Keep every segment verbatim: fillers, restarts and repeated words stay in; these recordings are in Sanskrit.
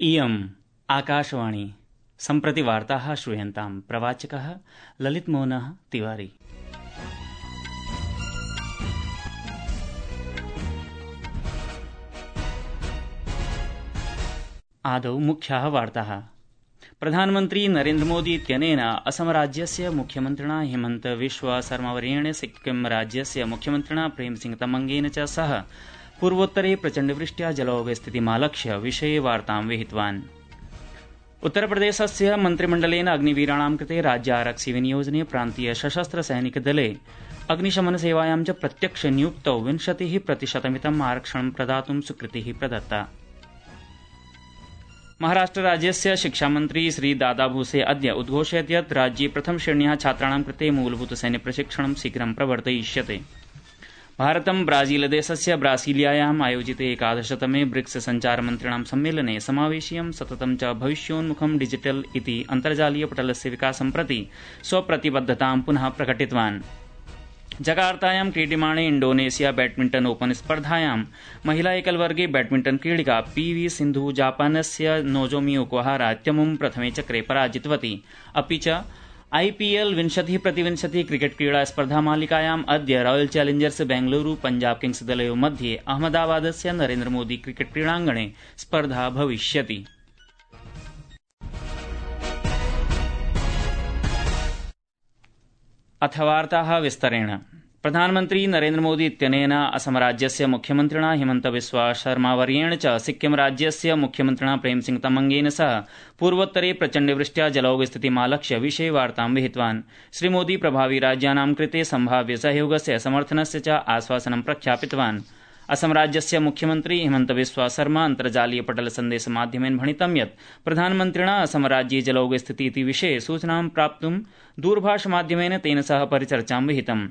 इयम् आकाशवाणी सम्प्रति वार्ताः श्रूयन्तां। प्रवाचकः ललितमोहनः तिवारी। आदौ मुख्याः वार्ताः। प्रधानमन्त्री नरेन्द्र मोदी इत्यनेन असम राज्यस्य मुख्यमन्त्रिणा हिमन्त बिस्वा शर्मावर्येण सिक्किम राज्यस्य मुख्यमन्त्रिणा प्रेमसिंह तमंगेन च सह पूर्वोत्तरे प्रचण्डवृष्ट्या जलौघस्थितिमालक्ष्य विषये वार्तां विहितवान्। उत्तरप्रदेशस्य मन्त्रिमण्डलेन अग्निवीराणां कृते राज्यारक्षि विनियोजने प्रान्तीय सशस्त्र सैनिक दले अग्निशमन सेवायां च प्रत्यक्ष नियुक्तौ विंशतिः प्रतिशतमितम् आरक्षणं प्रदातुं स्वीकृतिः प्रदत्ता। महाराष्ट्र राज्यस्य शिक्षामन्त्री श्री दादा भूसे अद्य उद्घोषयत् यत् राज्ये प्रथम श्रेण्याः छात्राणां कृते मूलभूत सैन्य प्रशिक्षणं शीघ्रं प्रवर्तयिष्यते। भारतं ब्राजीलदेशस्य ब्रासीलियायाम् आयोजिते एकादशतमे ब्रिक्स सञ्चारमन्त्रिणां सम्मेलने समावेशीयं सततं च भविष्योन्मुखं डिजिटल इति अन्तर्जालीय पटलस्य विकासं प्रति स्वप्रतिबद्धतां पुनः प्रकटितवान्। जकार्तायां क्रीड्यमाणे इण्डोनेशिया बैडमिण्टन ओपन स्पर्धायां महिला एकलवर्गे बैडमिण्टन क्रीडिका पी वी सिन्धु जापानस्य नोजोमी ओकुहारा इत्यमुं प्रथमे चक्रे पराजितवती। अपि च आईपीएल विंशतिः प्रतिविंशतिः क्रिकेट क्रीडा स्पर्धा मालिकायाम् अद्य Royal Challengers Bengaluru Punjab Kings दलयोः मध्ये अहमदाबादस्य नरेन्द्र मोदी क्रिकेट क्रीडाङ्गणे स्पर्धा भविष्यति। अथ वार्ताः विस्तरेण। प्रधानमन्त्री नरेन्द्र मोदी इत्यनेन असम राज्यस्य मुख्यमन्त्रिणा हिमन्त बिस्वा शर्मावर्येण च सिक्किम राज्यस्य मुख्यमन्त्रिणा प्रेमसिंह तमंगेन सह पूर्वोत्तरे प्रचण्डवृष्ट्या जलौघस्थितिमालक्ष्य विषये वार्तां विहितवान्। श्रीमोदी प्रभावी राज्यानां कृते सम्भाव्य सहयोगस्य समर्थनस्य च आश्वासनं प्रख्यापितवान्। असम राज्यस्य मुख्यमन्त्री हिमन्त बिस्वा शर्मा अन्तर्जालीय पटल सन्देश माध्यमेन भणितं यत् प्रधानमन्त्रिणा असम राज्ये जलौघस्थिति इति विषये सूचनां प्राप्तुं दूरभाष माध्यमेन तेन सह परिचर्चां विहितम्।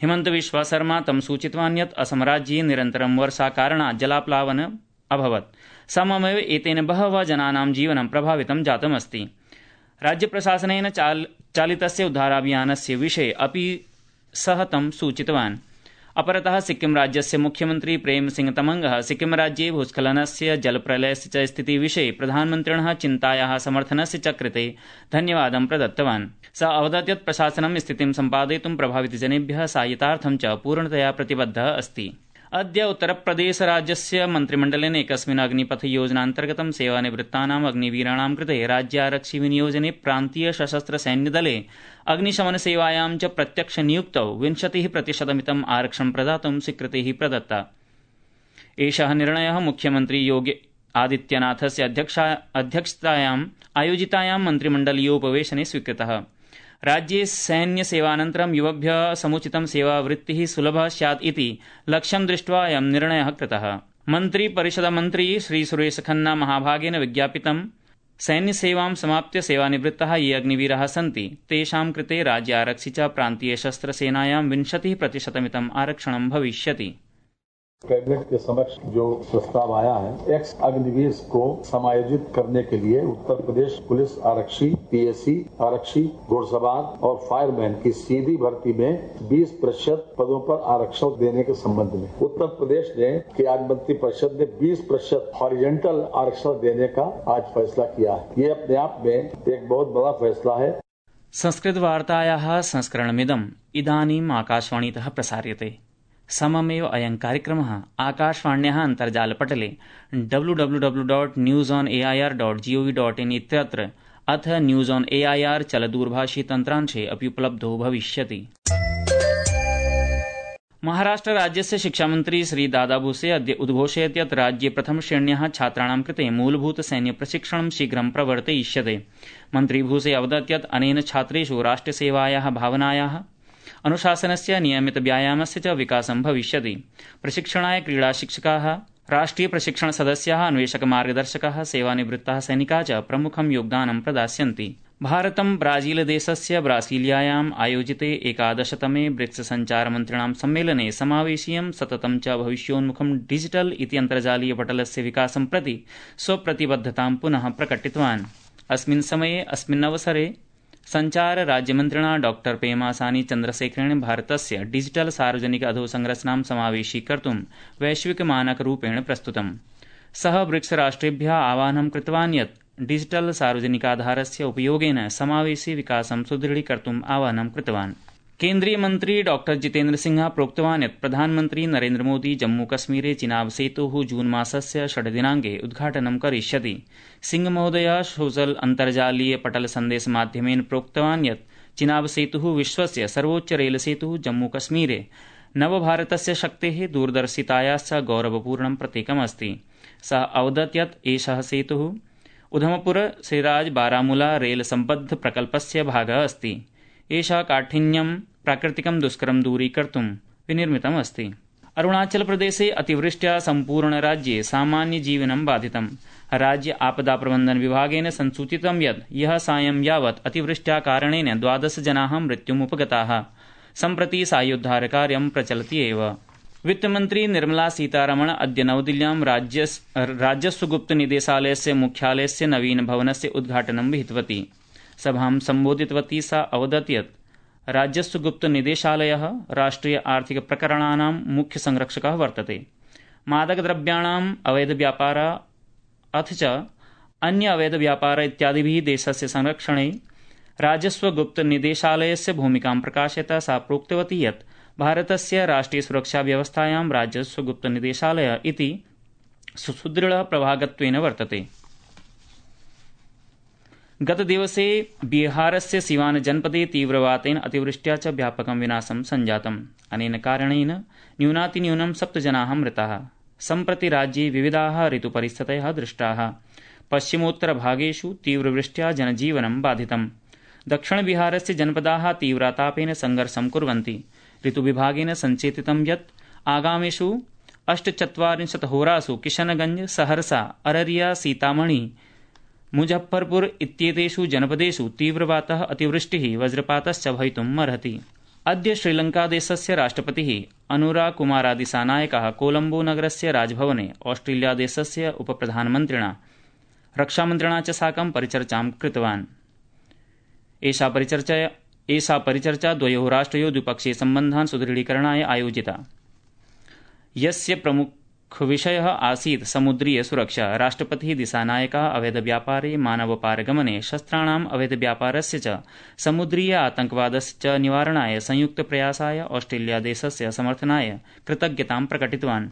हिमन्त बिस्वा शर्मा तं सूचितवान् यत् असम राज्ये निरन्तरं वर्षा कारणात् जलाप्लावनम् अभवत्। सममेव एतेन बहवः जनानां जीवनं प्रभावितं जातमस्ति। राज्य प्रशासनेन चाल, चालितस्य उद्धाराभियानस्य विषये अपि सः तं सूचितवान्। अपरतः सिक्किम राज्यस्य मुख्यमन्त्री प्रेम सिंह तमंगः सिक्किम राज्ये भूस्खलनस्य जलप्रलयस्य च स्थिति विषये प्रधानमन्त्रिणः चिन्तायाः समर्थनस्य च कृते धन्यवादं प्रदत्तवान्। सः अवदत् यत् प्रशासनं स्थितिं सम्पादयितुं प्रभावितजनेभ्यः साहाय्यतार्थं च पूर्णतया प्रतिबद्धः अस्ति। अद्य उत्तरप्रदेशराज्यस्य मन्त्रिमण्डलेन एकस्मिन् अग्निपथ योजनान्तर्गतं सेवानिवृत्तानाम् अग्निवीराणां कृते राज्यारक्षि विनियोजने प्रान्तीय सशस्त्र सैन्यदले अग्निशमन सेवायां च प्रत्यक्ष नियुक्तौ विंशतिः प्रतिशतमितम् आरक्षणं प्रदातुं स्वीकृतिः प्रदत्ता। एषः निर्णयः मुख्यमन्त्री योगी आदित्यनाथस्य अध्यक्षतायाम् आयोजितायां मन्त्रिमण्डलीयोपवेशने स्वीकृतः। राज्ये सैन्य सेवानन्तरं युवभ्यः समुचितं सेवावृत्तिः सुलभः स्यात् इति लक्ष्यं दृष्ट्वा अयं निर्णयः कृतः। मन्त्रिपरिषदमन्त्री श्री सुरेश खन्ना महाभागेन विज्ञापितं सैन्यसेवां समाप्य सेवानिवृत्ताः ये अग्निवीराः सन्ति तेषां कृते राज्यारक्षि च प्रान्तीय शस्त्रसेनायां विंशतिः प्रतिशतमितम् आरक्षणं भविष्यति। कैबिनेट के समक्ष जो प्रस्ताव आया है, एक्स अग्निवीर को समायोजित करने के लिए उत्तर प्रदेश पुलिस आरक्षी, पीएसी आरक्षी, घुड़सवार और फायरमैन की सीधी भर्ती में बीस प्रतिशत पदों पर आरक्षण देने के संबंध में उत्तर प्रदेश ने कैबिनेट मंत्री परिषद ने बीस प्रतिशत हॉरिजॉन्टल आरक्षण देने का आज फैसला किया है। ये अपने आप में एक बहुत बड़ा फैसला है। संस्कृत वार्तायाः संस्करणमिदम् इदानीम् आकाशवाणीतः प्रसार्यते। सममेव अयं कार्यक्रमः आकाशवाण्याः अन्तर्जालपटले W W W dot news on A I R dot G O V dot in इत्यत्र अथ news on A I R चलदूरभाषी तन्त्रांशे अपि उपलब्धो भविष्यति। महाराष्ट्र राज्यस्य शिक्षामन्त्री श्री दादा भूसे अद्य उद्घोषयत् यत् राज्ये प्रथम श्रेण्याः छात्राणां कृते मूलभूत सैन्य प्रशिक्षणं शीघ्रं प्रवर्तयिष्यते। मन्त्री भूसे अवदत् यत् अनेन छात्रेषु राष्ट्रसेवायाः भावनायाः अनुशासनस्य नियमित व्यायामस्य च विकासं भविष्यति। प्रशिक्षणाय क्रीडा शिक्षकाः, राष्ट्रिय प्रशिक्षण सदस्याः, अन्वेषक मार्गदर्शकाः, सेवानिवृत्ताः सैनिकाः च प्रमुखं योगदानं प्रदास्यन्ति। भारतं ब्राजीलदेशस्य ब्रासीलियायाम् आयोजिते एकादशतमे ब्रिक्स सञ्चारमन्त्रिणां सम्मेलने समावेशीयं सततं च भविष्योन्मुखं डिजिटल इति अन्तर्जालीय पटलस्य विकासं प्रति स्वप्रतिबद्धतां पुनः प्रकटितवान्। अस्मिन् समये अस्मिन् अवसरे संचार राज्यमन्त्रिणा डॉक्टर पेमासानी चन्द्रशेखरेण भारतस्य डिजिटल सार्वजनिक अधोसंरचनां समावेशीकर्तुं वैश्विक मानकरूपेण प्रस्तुतम्। सः ब्रिक्स राष्ट्रेभ्यः आह्वानं कृतवान् यत् डिजिटल सार्वजनिकाधारस्य उपयोगेन समावेशी विकासं सुदृढीकर्तुम् आह्वानं कृतवान्। केन्द्रीय मन्त्री डॉक्टर जितेन्द्र सिंह प्रोक्तवान् यत् प्रधानमन्त्री नरेन्द्र मोदी जम्मूकश्मीरे चिनाब सेतोः जून मासस्य षड् दिनाङ्के उद्घाटनं करिष्यति। सिंह महोदयः सोशल अन्तर्जालीय पटल सन्देश माध्यमेन प्रोक्तवान् यत् चिनाब सेतुः विश्वस्य सर्वोच्च रेल सेतुः जम्मूकश्मीरे नवभारतस्य शक्तेः दूरदर्शितायाश्च गौरवपूर्णं प्रतीकमस्ति। सः अवदत् यत् एषः सेतुः उधमपुर सिराज बारामूला रेल सम्बद्ध प्रकल्पस्य भागः अस्ति। एषः काठिन्यं प्राकृतिकं दुष्करं दूरीकर्तुं विनिर्मितम् अस्ति। अरुणाचल प्रदेशे अतिवृष्ट्या सम्पूर्ण राज्ये सामान्य जीवनं बाधितम्। राज्य आपदा प्रबन्धन विभागेन संसूचितं यत् ह्यः सायं यावत् अतिवृष्ट्या कारणेन द्वादश जनाः मृत्युमुपगताः। सम्प्रति साहाय्योद्धारकार्यं प्रचलति एव। वित्तमन्त्री निर्मला सीतारमण अद्य नवदिल्ल्यां राजस्वगुप्त निदेशालयस्य मुख्यालयस्य नवीन भवनस्य उद्घाटनं विहितवती। सभां सम्बोधितवती सा अवदत् यत् राजस्वगुप्त निदेशालयः राष्ट्रिय आर्थिक प्रकरणानां मुख्य संरक्षकः वर्तते। मादकद्रव्याणाम् अवैधव्यापार अथ च अन्य अवैधव्यापार इत्यादिभिः देशस्य संरक्षणे राजस्वगुप्त निदेशालयस्य भूमिकां प्रकाशयता सा प्रोक्तवती यत् भारतस्य राष्ट्रिय सुरक्षा व्यवस्थायां राजस्वगुप्त निदेशालयः इति सुदृढः प्रभागत्वेन वर्तते। गतदिवसे बिहारस्य सिवान जनपदे तीव्रवातेन अतिवृष्ट्या च व्यापकं विनाशं सञ्जातम्। अनेन कारणेन न्यूनातिन्यूनं सप्त जनाः मृताः। सम्प्रति राज्ये विविधाः ऋतुपरिस्थितयः दृष्टाः। पश्चिमोत्तरभागेषु तीव्रवृष्ट्या जनजीवनं बाधितम्। दक्षिणबिहारस्य जनपदाः तीव्रतापेन संघर्षं कुर्वन्ति। ऋतुविभागेन सञ्चेतितं यत् आगामिषु अष्टचत्वारिंशत् होरासु किशनगंज, सहरसा, अररिया, सीतामढ़ी, मुजफ्फरपुर इत्येतेषु जनपदेषु तीव्रवातः अतिवृष्टिः वज्रपातश्च भवितुम् अर्हति। अद्य श्रीलङ्कादेशस्य राष्ट्रपतिः अनुराग कुमारदिसानायकः कोलम्बो नगरस्य राजभवने ऑस्ट्रेलियादेशस्य उपप्रधानमन्त्रिणा रक्षामन्त्रिणा च साकं परिचर्चां कृतवान्। एषा परिचर्चा एषा परिचर्चा द्वयोः राष्ट्रयोः द्विपक्षीय सम्बन्धान् सुदृढीकरणाय आयोजिता। यस्य प्रमुखविषयः आसीत् समुद्रीय सुरक्षा। राष्ट्रपतिः दिसानायकः अवैधव्यापारे, मानवपारगमने, शस्त्राणाम् अवैधव्यापारस्य च समुद्रीय आतङ्कवादस्य च निवारणाय संयुक्तप्रयासाय ऑस्ट्रेलियादेशस्य समर्थनाय कृतज्ञतां प्रकटितवान्।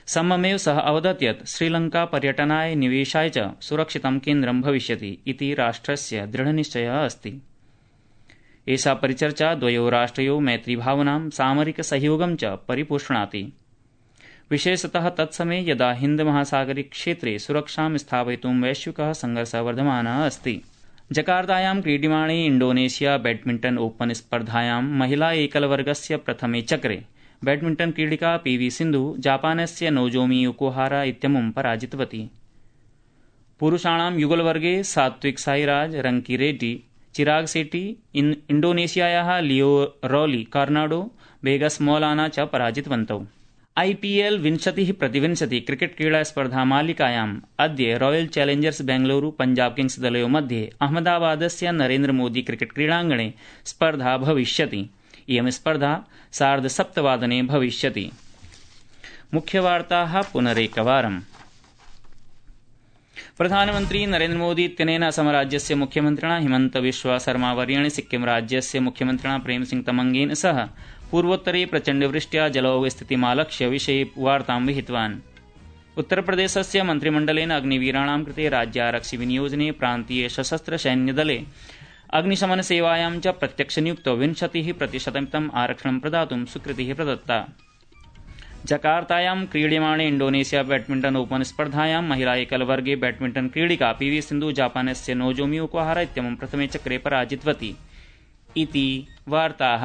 सममेव सः अवदत् यत् श्रीलङ्का पर्यटनाय, निवेशाय च सुरक्षितं केन्द्रं भविष्यति इति राष्ट्रस्य दृढनिश्चयः अस्ति। एषा परिचर्चा द्वयोः राष्ट्रयोः मैत्रीभावनां, सामरिक सहयोगं च परिपुष्णाति। विशेषतः तत्समये यदा हिन्दमहासागरीय क्षेत्रे सुरक्षां स्थापयितुं वैश्विकः संघर्षः वर्धमानः अस्ति। जकार्तायां क्रीड्यमाणे इंडोनेशिया बैडमिण्टन ओपन स्पर्धायां महिला एकलवर्गस्य प्रथमे चक्रे बैडमिण्टन क्रीडिका पीवी सिन्धु जापानस्य नोजोमी ओकुहारा इत्यमुं पराजितवती। पुरुषाणां युगलवर्गे सात्विक साईराज, रंकी रेड्डी, चिराग सेट्टी, इंडोनेशियायाः लियो रॉली कार्नाडो, वेगस मौलाना च पराजितवन्तौ। आईपीएल विंशतिः प्रतिविंशति क्रिकेट क्रीडा स्पर्धा मालिकायाम् अद्य Royal Challengers Bengaluru Punjab Kings दलयोः मध्ये अहमदाबादस्य नरेन्द्र मोदी क्रिकेट क्रीडाङ्गणे स्पर्धा भविष्यति। इयं स्पर्धा सार्धसप्तवादने भविष्यति। मुख्यवार्ताः पुनरेकवारम्। प्रधानमन्त्री नरेन्द्र मोदी इत्यनेन असमराज्यस्य मुख्यमन्त्रिणा हिमन्त बिस्वा शर्मावर्येण सिक्किम राज्यस्य मुख्यमन्त्रिणा प्रेमसिंह तमंगेन सह पूर्वोत्तरे प्रचण्डवृष्ट्या जलौघस्थितिमालक्ष्य विषये वार्तां विहितवान्। उत्तरप्रदेशस्य मन्त्रिमण्डलेन अग्निवीराणां कृते राज्यारक्षिविनियोजने प्रान्तीय सशस्त्र सैन्यदले अग्निशमनसेवायां च प्रत्यक्षनियुक्तौ विंशतिः प्रतिशतमितम् आरक्षणं प्रदातुं स्वीकृतिः प्रदत्ता। जकार्तायां क्रीड्यमाणे इंडोनेशिया बैडमिण्टन ओपन स्पर्धायां महिला एकलवर्गे बैडमिण्टन क्रीडिका पीवी सिन्धु जापानस्य नोजोमी ओकुहारा इत्यमुं प्रथमे चक्रे पराजितवती। इति वार्ताः।